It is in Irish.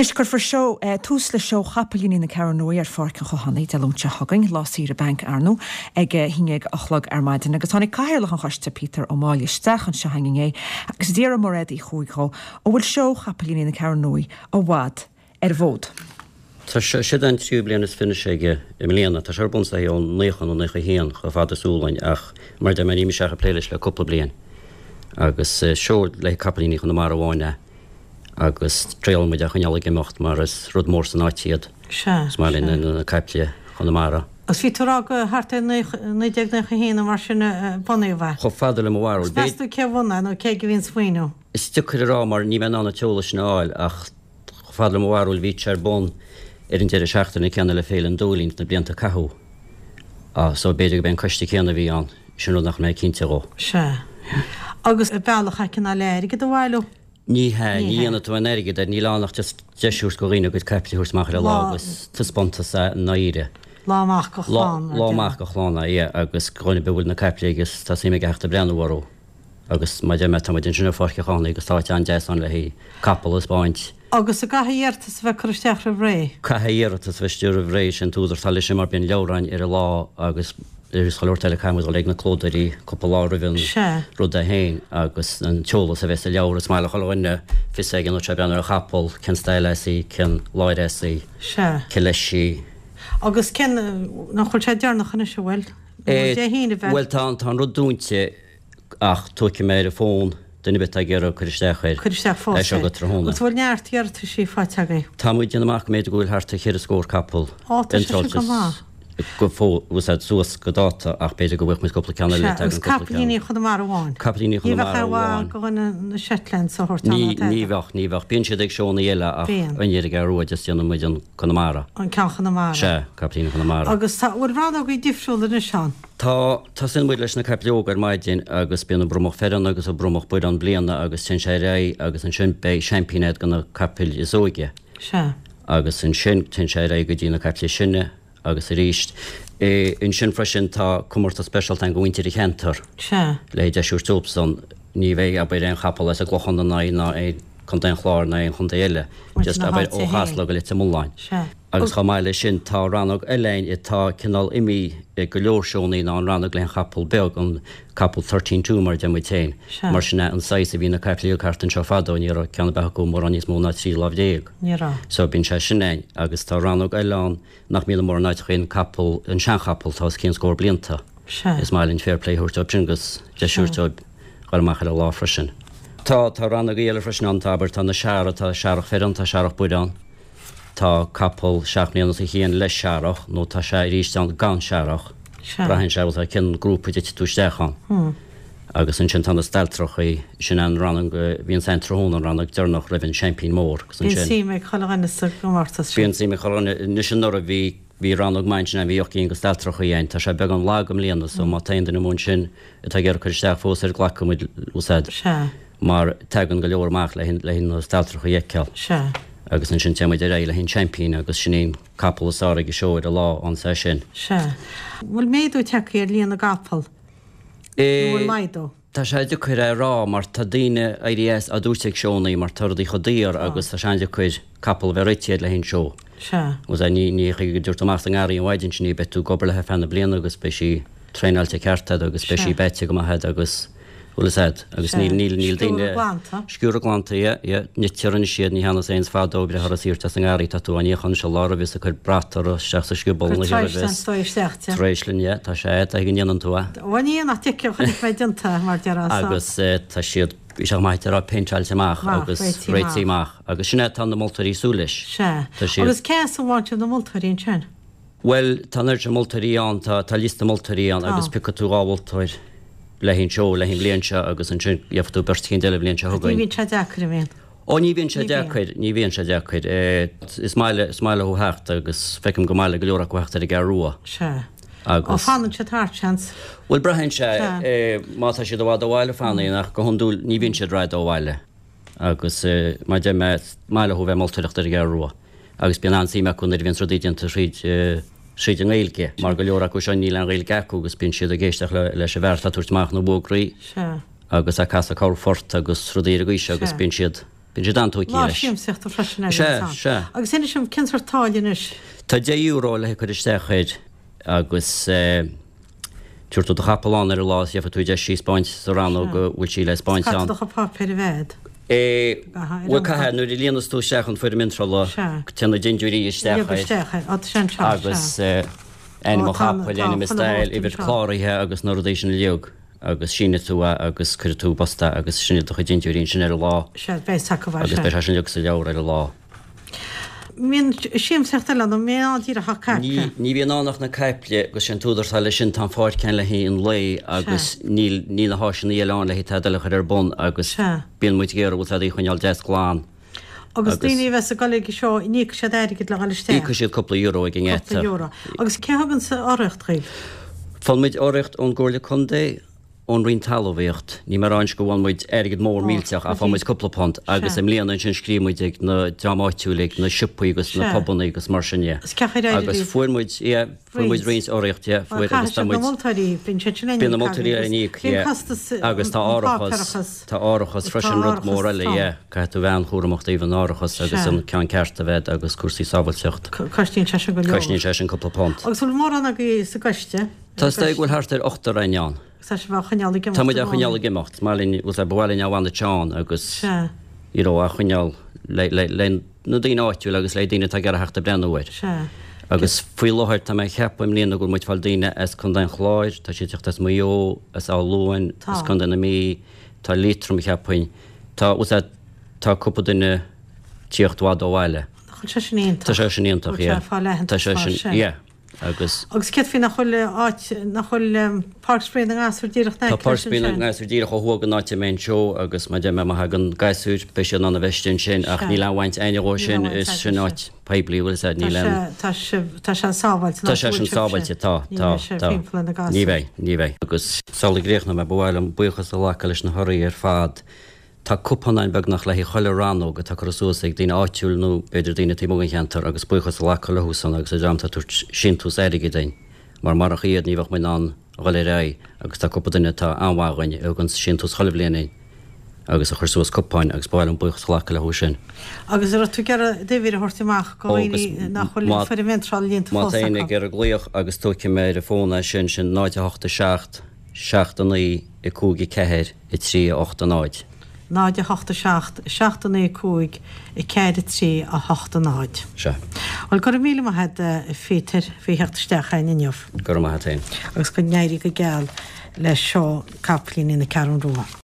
Anois, cuirfear seó, tús le Seó Chapaillíní na Ceathrún Rua ar Pháirc an Chothánaigh Dé Luain seo chugainn, lá saoire bainc ar ndóigh, ag a haon dhéag a chlog ar maidin. Agus tháinig Cathaoirleach an Choiste, Peter Ó Máille, isteach anseo chugainn inné agus d'fhiafraigh Mairéad Uí Chuaig dhó an bhfuil Seó Chapaillíní na Ceathrún Rua i bhfad ar an bhfód. Tá sé, siod é an tríú bliain is 20 aige i mbliana. Tá sé ar bun is dóichí ó 90 nó 91 chomh fada is eol dúinn ach mar a deir mé ní mise ach ag plé leis le cúpla bliain. Agus seó le capaillíní Chonamara amháin é. agus triaileann muid é a choinneáil ag imeacht mar is rud mór san áit iad. Sea, Is maith linn na caiple Chonamara. Agus bhí tú ag rá go thart ar 1991 nó mar sin a bunaíodh é. Chomh fada le mo bharúil. Agus meas tú cé a bhunaigh é nó cé aige a bhí an smaoineamh? Is deacair a rá mar níl mé in ann an t-eolas sin a fháil ach chomh fada le mo bharúil bhí sé ar bun ar an deireadh seachtaine céanna le Féile an Dúilín sna blianta a caitheadh. So b'fhéidir gurb é an coiste céanna a bhí ann. Sin rud nach mé cinnte dhó. Sea. Agus bealach é cineál le airgead a bhailiú? Ní hea, ní dhéanfaidh tú aon airgead air, níl ann ach just deis a thabhairt do dhaoine a gcuid caiple a thabhairt amach ar an lá agus taispeántas é i ndáiríre. Lá amach do chlann, mar a Lá amach do chlann é, yeah, agus do dhuine ar bith a bhfuil na caiple aige agus tá suim aige theacht ag breathnú orthu. Agus mar a deir mé, tá muid ansin ar Pháirc an Chathánaigh agus tá áit an-deas ann le haghaidh capall a 'speáint. Agus an gcaithfidh iarratas a bheith curtha isteach roimh ré? Caithfidh iarratas a bheith istigh roimh ré, sin an t-údar atá leis sin mar bíonn leabhráin ar an lá agus is chuile shórt eile caithfidh muid dul ag na clódóirí cúpla lá roimh an rud é féin agus an t-eolas a bheith sa leabhar. Is maith le chuile dhuine fios aige nuair atá sé ag breathnú ar chapall, cén style as í, cén láir as í, cé leis í. Agus cén, nach bhfuil sé deireanach anois, an bhfuil? Nó Dé hAoine a bheith? Bhuel tá an rud dúnta. Ach tógfaidh mé ar an bhfón duine ar bith atá ag iarraidh cur isteach air. Cuir isteach fós É seo é. go tráthnóna. Agus bhfuil neart iarrataisí faighte agaibh? Tá muid ag déanamh amach go mb'fhéidir go bhfuil thart ar cheithre scór capall Ó, tá sé sin iontráilte go maith. go fóill, bhfuil siad suas go dáta ach b'fhéidir go bhfuil muid cúpla ceann eile Sea, agus tagann cúpla ceann. capaillíní Chonamara amháin. Capaillíní Ní bheadh Chonamara aon mhaith amháin. do dhuine na Shetlands a thabhairt ann Ní, ná ní tada. bheadh, ní bheadh. Bíonn siad ag seónna eile ach Bíonn. an ar an gCeathrú Rua just déanann muid an Conamara. An ceann Chonamara. Sea, capaillíní Chonamara. Agus tá, bhfuil rannógaí difriúla anois ann? Tá, tosaíonn muid leis na caiple óga ar maidin agus bíonn an bromach fireann agus an bromach buir ann bliana agus téann sé ar aghaidh agus ansin beidh seaimpín a'd do na capaill is óige. Sea. Agus ansin téann sé ar aghaidh go dtí na caiple is sine agus arís. Ansin freisin tá comórtas speisialta a'inn do mhuintir an cheantair. Sea. Le deis a thabhairt dóibhsan. Ní bheidh, abair, aon chapall as an gClochán ina aghaidh ná aon Contae an Chláir ná aon chontae eile. Just, abair, ó Chasla go Leitir Mealláin. Sea. Agus chomh maith leis sin, tá rannóg eile a'inn atá cineál imithe go leor seónnaí ná an rannóg le an chapall beag, an capall thirteen two mar a deir muid féin. Sea. Mar sin é an saghas a bhí na caiplí ag thart anseo fadó, ní raibh ceann ar bith acu mórán níos mó ná 13 lámh. Ní raibh. So bíonn sé sin a'inn. Agus tá rannóg eile ann nach mbíonn i mórán áiteachaí, an capall, an seanchapall atá os cionn scór blianta. Sea. Is maith linn fair play a thabhairt dóibh sin agus deis a thabhairt dóibh dhul amach ar an lá freisin. Tá, tá rannógaí eile freisin ann, tá, abair, tá na searra, tá searrach fireann, tá searrach buir ann. Tá capall seacht mbliana os a chionn le searrach nó tá sé arís ann gan searrach. Sea. Braitheann sé bhfuil cén grúpa a dtitfidh tú isteach ann. Agus ansin tá na stailtreachaí, sin an rannóg a bhíonns ann tráthnóna, an rannóg deireanach roimh an seaimpín mór. Agus Bíonn ansin. suim ag chuile dhuine sa gcomórtas sin. Bíonn suim ag chuile dhuine. Anois anuraidh bhí, bhí rannóg maith ansin ann, bhí ocht gcinn de stailtreachaí ann. Tá sé beagán lag i mbliana so má tá aon duine amuigh ansin atá ag iarraidh cur isteach fós air glacfaidh muid úsáid. Sea. mar tagann go leor amach le haghaidh na stailtreachaí a fheiceáil. Sea. Agus ansin téann muid ar aghaidh le haghaidh an seaimpín agus sin é an capall is fearr ag an seó ar an lá ansa sin. Sea. Bhfuil méadú tagtha ar líon na gcapall? Nó bhfuil laghdú? Tá sé deacair é a rá mar tá daoine éirithe as á dtabhairt ag seónnaí mar tá rudaí chomh daor agus tá sé an-deacair capall a bheith réitithe le haghaidh an seó. Sea. Agus ní ní chuige go dtabharfaidh tú amach sa ngarraí an mhaidin sin í beidh tú ag obair léi ar feadh na bliana agus beidh sí traenáilte ceart agat agus beidh sí Sea. beaite go maith agat agus bhfuil fhios agat agus níl níl níl daoine Sciúradh glanta. Sciúradh glanta yeah yeah nitear anois iad ní hea nós aon fadó ag breith orthu is iarrtar as an ngarraí tá tú á níochán anois an lá roimhe is ag cur brat orthu isteach sa scioból Cuir an oíche roimhe tréisleann is dó isteach te. Tréisleann yeah tá sé tá go ndéanann tú é. Bhuel ní nach dtiocfaidh chonaic mé déanta mar déarfá so. Agus tá siad bhí sé chomh maith a rá péinteáilte amach Amach, agus réitithe réitithe amach. amach agus sin é atá na moltóirí ag súil leis. Sea. Tá siad. Agus cé as a bhfaigheann sibh na moltóirí ansin? Bhuel, tá an oiread sin moltóirí ann, tá, tá liosta moltóirí ann agus Tá. piocfaidh tú 2 mholtóir le haghaidh an seó, le haghaidh an bhliain seo agus ansin gheobhaidh tú beirt eicínt eile an bhliain seo Ní chugainn. bhíonn sé deacair, an mbíonn? Ó, ní bhíonn sé Ní bhíonn. deacair, ní bhíonn sé deacair. Is maith le, is maith leo theacht agus feicim gur maith le go leor acu theacht ar an gCeathrú Rua. Sea. Ó, Agus. fanann siad thart, seans. Bhuel, braitheann sé, Sea. má tá siad i bhfad ó bhaile, fanfaidh, ach go hiondúil ní bhíonn siad rófhada ó bhaile. Agus mar a deir mé, is maith leo a bheith ag moltóireacht ar an gCeathrú Rua. Agus bíonn an-suim acu nuair a bhíonns rudaí déanta thríd thríd an nGaeilge, mar go leor acu seo níl aon Ghaeilge acu agus bíonn siad ag éisteacht le leis an bhfear atá ag tabhairt amach na bhfógraí Sea. agus ag casadh corrphort agus rudaí ar an gcaoi seo agus Sea. bíonn siad. Bíonn siad an-tógtha Lá leis. siamsaíochta freisin é Sea, ansan. sea. Agus inis dom, cén sórt táille anois? Tá €10 le cur isteach air agus tabharfaidh tú do chapall ann ar an lá is gheobhaidh tú deis í a 'speáint sa rannóg a bhfuil sí le 'speáint Caithfidh ann. do chuid páipéir a bheith agat. Bhuel, caithfidh, nuair a líonas tú isteach an foirm iontrála, téann na dindiúirí isteach air. Isteach air, tá sé anseo, Agus ainm an chapail, ainm is stail, uimhir cláraithe agus na rudaí sin uilig agus síneoidh tú é agus cuirfidh tú i bpost é agus sin iad do chuid dindiúirí ansin ar an lá. Sea, beidh acu é, Agus beidh sé sin uilig sa leabhar ar an lá. Mbíonn siamsaíocht eile ann, an mbíonn ann díreach ach caiple? Ní bhíonn ann ach na caiple agus sé an t-údar atá leis sin, tá an pháirc ann le haghaidh an lae agus níl, níl na háiseanna eile ann le haghaidh tada eile a chur ar bun agus bíonn muid ag iarraidh bhfuil tada a choinneáil deas glan. Agus daoine a bheas ag dul ag an seó, an íocfaidh siad airgead le dhul isteach? Íocfaidh siad cúpla euro ag an ngeata. Cúpla euro. Agus cé a thugann urraíocht dhaoibh? Faigheann muid urraíocht ón gComhairle Contae, ón Roinn Talmhaíocht. Níl mé ag rá anois go bhfaigheann muid airgead mór millteach ach faigheann muid cúpla punt agus i mbliana ansin scríobh muid ag na dream áitiúil ag na siopaí agus na pubanna agus mar sin dhe. Agus fuair muid, yeah, fuair muid roinnt urraíocht, yeah, fuair agus tá muid. Bíonn na moltóirí á n-íoc, yeah. Agus tá árachas, tá árachas freisin rud mór eile, yeah. Caithfidh tú bheith an-chúramach taobh an árachas agus an ceann ceart a bheith agus cúrsaí sábhailteacht. Cosnaíonn sé sin go leor. Cosnaíonn sé sin cúpla punt. Agus bhfuil mórán agaibh sa gcoiste? Tá is dóigh go bhfuil thart ar ochtar againn ann. Agus tá sibh á choinneáil ag imeacht Tá muid á choinneáil ag imeacht. Is maith linn, bhfuil a fhios agat, ba mhaith linn á bhaint ann agus Sea. you know, á choinneáil le, le, le na daoine áitiúil agus le daoine atá ag iarraidh theacht ag breathnú air. Sea. Agus faoi láthair tá mé ag ceapadh i mbliana go bhfuil muid ag fáil daoine as Contae an Chláir, tá siad ag teacht as Maigh Eo, as Áth Luain, Tá. as Contae na Mí, tá Liatroim cheapfainn, tá, bhfuil a fhios agat, tá cúpla duine ag tíocht i bhfad ó bhaile. Nach bhfuil sé sin iontach? Tá sé sin iontach, Bhfuil sé yeah. ag fáil Tá aitheantas sé mar sin, sin? yeah. Agus. Agus céard faoi nach bhfuil áit, nach bhfuil Páirc Spraoi na nGasúr díreach in Tá aice Páirc leis Spraoi na ansin? nGasúr díreach ó thuaidh den áit a mbeidh an seó agus mar a deir mé má thagann gasúir beidh siad in ann a bheith istigh ansin ach níl aon bhaint againne dhó sin, Níl aon is bhaint sin agaibhse. áit poiblí bhfuil a fhios agat, Tá níl sé, aon. tá sé, tá sé sábháilte an Tá áit sé a sin bhfuil sibhse. sábháilte, tá, Ní tá, bheidh sé tá. timpeall ar na Ní gasúir. bheidh, ní bheidh. Agus sula gcríochnóidh mé ba mhaith liom buíochas a ghlacadh leis na hurraí ar fad. Tá cupán ann beagnach le haghaidh chuile rannóg atá curtha suas ag daoine áitiúil nó b'fhéidir daoine taobh amuigh den cheantar agus buíochas a ghlacadh leo san agus an dream atá ag tabhairt síntiús airgid duinn mar marach iad ní bheadh muid in ann a dhul ar aghaidh agus tá cúpla duine atá an-mhaith dhuinn a thugann síntiús chuile bhliain duinn agus a chuir suas cupáin agus ba mhaith liom buíochas a ghlacadh leo sin. Agus an raibh tú ag iarraidh d'uimhir a thabhairt amach do Ó agus dhaoine nach bhfuil má foirm iontrála líonta má fós tá éinne acu? ag iarraidh glaoch agus tógfaidh mé ar an bhfón é sin, sin 0 8 7 7 9 5 4 3 8 0. 0 8 7 7 9 5 4 3 8 0. Sea. Bhuel, go raibh míle maith agat, a Phíotair, faoi theacht isteach againn inniu. Go raibh maith agat féin. Agus go n-éirí go geal le seó Capaillíní na Ceathrún Rua.